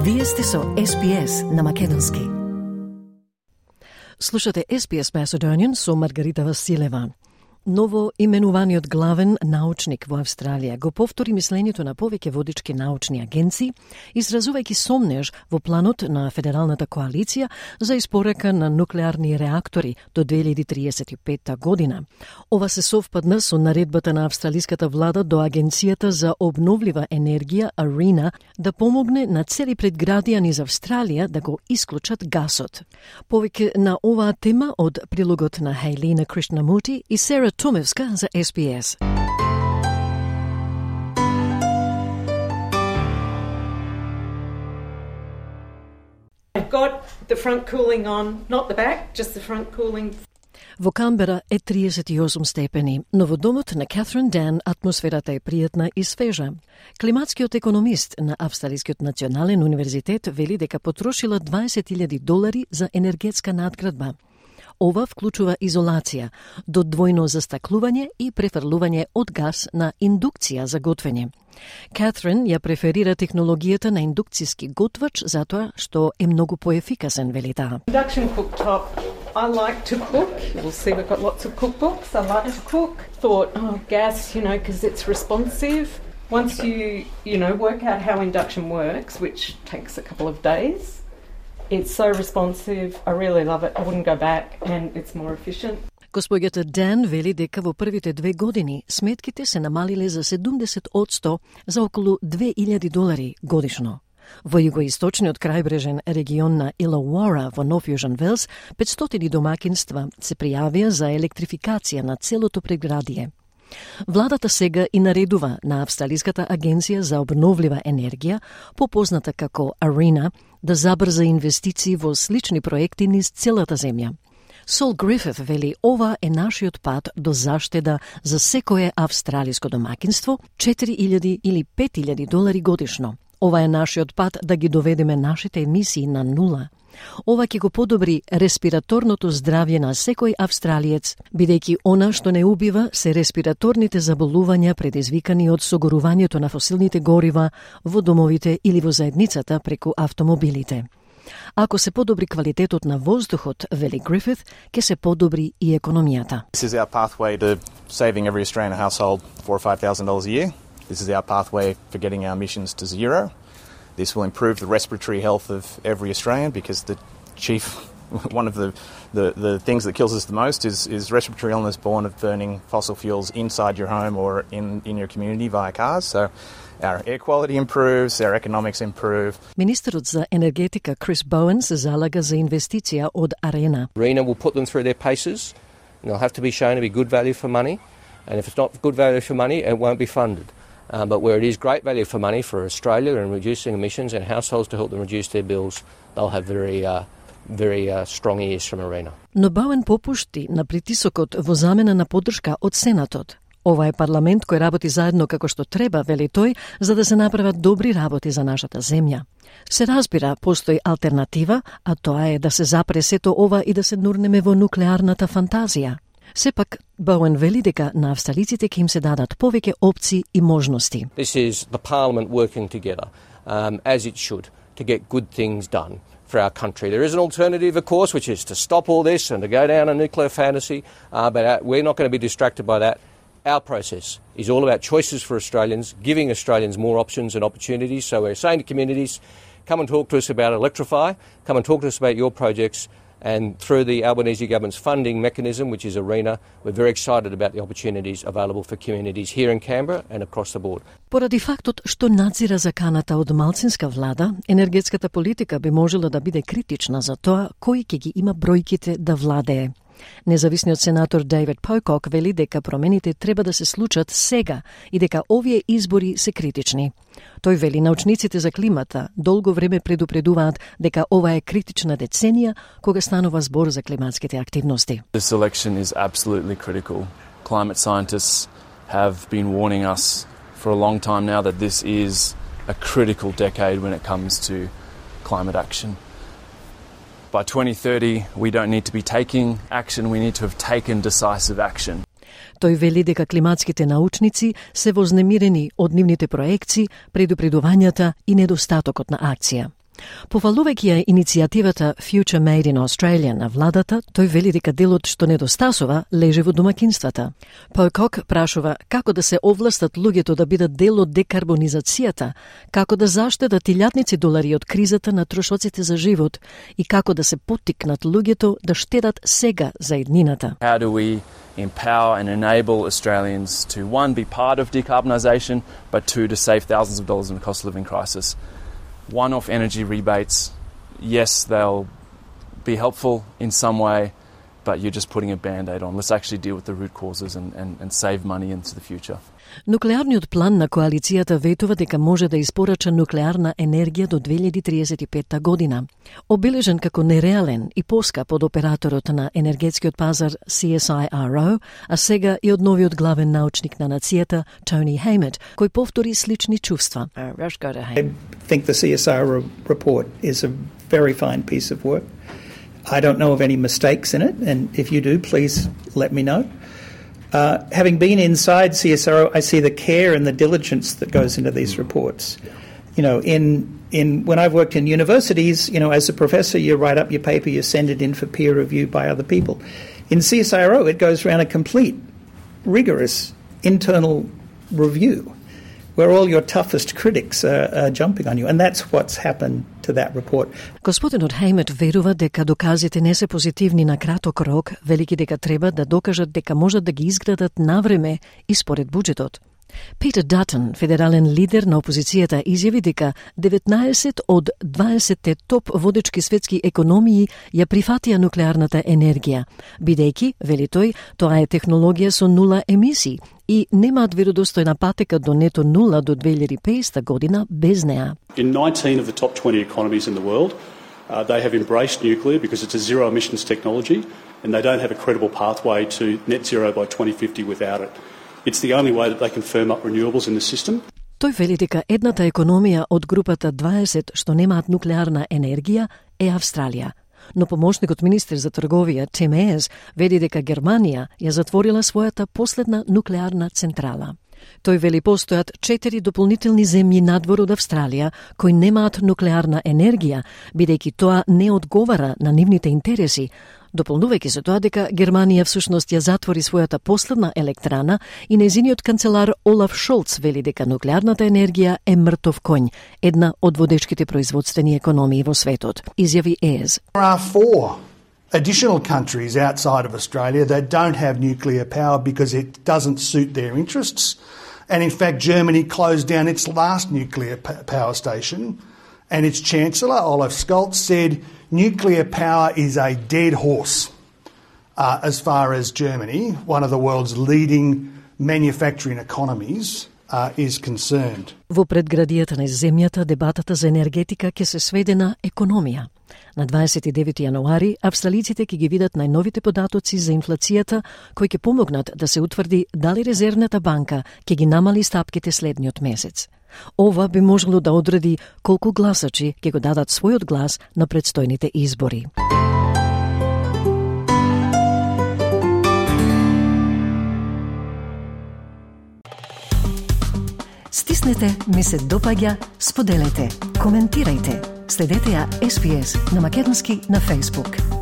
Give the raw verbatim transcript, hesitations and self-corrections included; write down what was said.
Вие сте со Ес Би Ес на македонски. Слушате Ес Би Ес Macedonian со Маргарита Василева. Ново именуваниот главен научник во Австралија го повтори мислењето на повеќе водички научни агенции, изразувајќи сомнеж во планот на Федералната коалиција за испорака на нуклеарни реактори до две илјади триесет и петта година. Ова се совпадна со наредбата на австралиската влада до Агенцијата за обновлива енергија ARENA да помогне на цели предградија низ Австралија да го исклучат гасот. Повеќе на оваа тема од прилогот на Хейлина Кришнамути и Сера Томевска за Ес Би Ес. I've got the front cooling on, not the back, just the front cooling. Во Камбера е триесет и осум степени, но во домот на Катрин Дан атмосферата е пријатна и свежа. Климатскиот економист на Австралискиот национален универзитет вели дека потрошила дваесет илјади долари за енергетска надградба. Ова вклучува изолација, додвојно застаклување и префрлување од газ на индукција за готвење. Катрин ја преферира технологијата на индукцијски готвач затоа што е многу поефикасен, вели таа. Induction cooktop. I like to cook. You'll see we've got lots of cookbooks. I like to cook. Thought, oh, gas, you know, because it's responsive. Once you, you know, work out how induction works, which takes a couple of days, it's so responsive. I really love it. I wouldn't go back and it's more efficient. Господјата Дан вели дека во првите две години сметките се намалиле за седумдесет одсто за околу две илјади долари годишно. Во југоисточниот крајбрежен регион на Илауара во Нов Јужен Велс, петстотини домакинства се пријавија за електрификација на целото предградие. Владата сега и наредува на Австралиската агенција за обновлива енергија, попозната како ARENA, да забрза инвестиции во слични проекти низ целата земја. Сол Грифит вели ова е нашиот пат до заштеда за секое австралиско домакинство, четири илјади или пет илјади долари годишно. Ова е нашиот пат да ги доведеме нашите емисии на нула. Ова ќе го подобри респираторното здравје на секој австралиец, бидејќи она што не убива се респираторните заболувања предизвикани од согорувањето на фосилните горива во домовите или во заедницата преку автомобилите. Ако се подобри квалитетот на воздухот, вели Грифит, ќе се подобри и економијата. This is our pathway to saving every Australian household four or five thousand dollars a year. This is our pathway for getting our emissions to zero. This will improve the respiratory health of every Australian because the chief, one of the, the, the things that kills us the most is, is respiratory illness born of burning fossil fuels inside your home or in, in your community via cars. So our air quality improves, our economics improve. Министерот за енергетика Крис Боуен се залага за инвестиција од ARENA. ARENA will put them through their paces and they'll have to be shown to be good value for money. And if it's not good value for money, it won't be funded. Um, but where it is great value for money for Australia and reducing emissions and households to help them reduce their bills, they'll have very, uh, very uh, strong ears from ARENA. Но Боуен попушти на притисокот во замена на поддршка од Сенатот. Ова е парламент кој работи заедно како што треба, вели тој, за да се направат добри работи за нашата земја. Се разбира, постои алтернатива, а тоа е да се запре сето ова и да се нурнеме во нуклеарната фантазија. Сепак, Боуен вели дека на австралиците ќе им се дадат повеќе опции и можности. This is the parliament working together, um, as it should, to get good things done for our country. There is an alternative, of course, which is to stop all this and to go down a nuclear fantasy, uh, but uh, we're not going to be distracted by that. Our process is all about choices for Australians, giving Australians more options and opportunities. So we're saying to communities, come and talk to us about Electrify, come and talk to us about your projects. And through the Albanese government's funding mechanism, which is ARENA, we're very excited about the opportunities available for communities here in Canberra and across the board. Поради фактот што надзира заканата од малцинска влада, енергетската политика би можела да биде критична за тоа кој ќе ги има бројките да владее. Независниот сенатор Дейвид Покок вели дека промените треба да се случат сега и дека овие избори се критични. Тој вели научниците за климата долго време предупредуваат дека ова е критична деценија кога станува збор за климатските активности. This election is absolutely critical. Climate scientists have been warning us for a long time now that this is a critical decade when it comes to climate action. By twenty thirty, we don't need to be taking action, we need to have taken decisive action. Тој вели дека климатските научници се вознемирени од нивните проекции, предупредувањата и недостатокот на акција. Пофалувајќи ја иницијативата Future Made in Australia на владата, тој вели дека делот што недостасува лежи во домакинствата. Покок прашува како да се овластат луѓето да бидат дел од декарбонизацијата, како да заштедат илјадници долари од кризата на трошоците за живот и како да се поттикнат луѓето да штедат сега за иднината. How do we empower and enable Australians to, one, be part of decarbonisation, but two, to save thousands of dollars in the cost of living crisis? One-off energy rebates, yes, they'll be helpful in some way, but you're just putting a band-aid on. Let's actually deal with the root causes and, and, and save money into the future. Нуклеарниот план на коалицијата ветува дека може да испорача нуклеарна енергија до две илјади триесет и петта година. Обележен како нереален и поскап од операторот на енергетскиот пазар C S I R O, а сега и од новиот главен научник на нацијата Tony Haymet, кој повтори слични чувства. I think the C S I R O report is a very fine piece of work. I don't know of any mistakes in it, and if you do, please let me know. Uh, having been inside C S R O, I see the care and the diligence that goes into these reports. You know, in in when I've worked in universities, you know, as a professor, you write up your paper, you send it in for peer review by other people. In C S I R O, it goes around a complete, rigorous internal review, where all your toughest critics are, are jumping on you, and that's what's happened to that report. Господинот Хеймет верува дека доказите не се позитивни на краток рок, велики дека треба да докажат дека можат да ги изградат навреме и според буџетот. Питер Датон, федерален лидер на опозицијата, изјави дека деветнаесет од дваесетте топ водечки светски економии ја прифатија нуклеарната енергија, бидејќи, вели тој, тоа е технологија со нула емисии и немаат веродостојна патека до нето нула до две илјади и петдесета година без неа. In nineteen of the top twenty economies in the world, uh, they have embraced nuclear because it's a zero emissions technology and they don't have a credible pathway to net zero by twenty fifty without it. It's the only way that they can firm up renewables in the system. Тој вели дека едната економија од групата дваесет што немаат нуклеарна енергија е Австралија. Но помошникот министер за трговија Тим Ез вели дека Германија ја затворила својата последна нуклеарна централа. Тој вели постојат четири дополнителни земји надвор од Австралија кои немаат нуклеарна енергија, бидејќи тоа не одговара на нивните интереси, дополнувајќи се тоа дека Германија всушност ја затвори својата последна електрана и нејзиниот канцелар Олаф Шолц вели дека нуклеарната енергија е мртов коњ, една од водечките производствени економии во светот. Изјави Ез. There are four additional countries outside of Australia that don't have nuclear power because it doesn't suit their interests. And in fact, Germany closed down its last nuclear power station, and its Chancellor, Olaf Scholz, said nuclear power is a dead horse uh, as far as Germany, one of the world's leading manufacturing economies, uh, is concerned. Во предградијата на земјата дебатата за енергетика ќе се сведе на економија. На дваесет и девети јануари австралиците ќе ги видат најновите податоци за инфлацијата кои ќе помогнат да се утврди дали резервната банка ќе ги намали стапките следниот месец. Ова би можело да одреди колку гласачи ќе го дадат својот глас на предстојните избори. Стиснете, ми се допаѓа, споделете, коментирајте. Следете ја Ес Би Ес на македонски на Facebook.